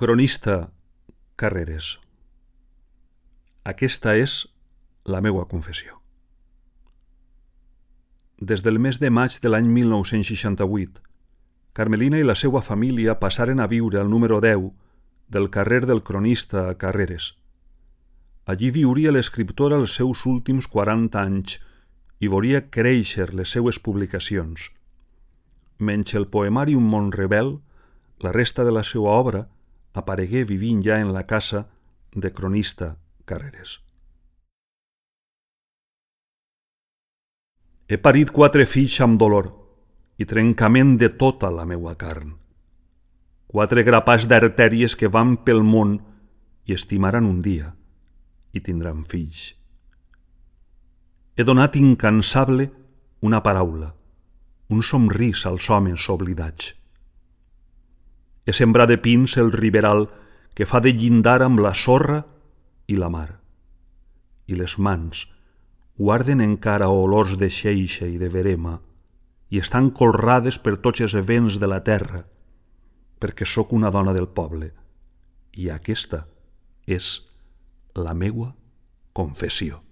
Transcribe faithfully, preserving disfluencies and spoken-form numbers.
Cronista Carreres. Aquesta és la meua confessió. Des del mes de maig de l'any mil nou-cents seixanta-vuit, Carmelina i la seva família passaren a viure al número deu del carrer del Cronista a Carreres. Allí viuria l'escriptora els seus últims quaranta anys i veuria créixer les seues publicacions. Menys el poemari Un món rebel, la resta de la seva obra aparegué vivint ja en la casa de Cronista Carreres. He parit quatre fills amb dolor i trencament de tota la meua carn. Quatre grapats d'artèries que van pel món i estimaran un dia i tindran fills. He donat incansable una paraula, un somrís als homes oblidats. He sembrat de pins el riberal que fa de llindar amb la sorra i la mar. I les mans guarden encara olors de xeixa i de verema i estan colrades per tots els vents de la terra, perquè sóc una dona del poble i aquesta és la meua confessió.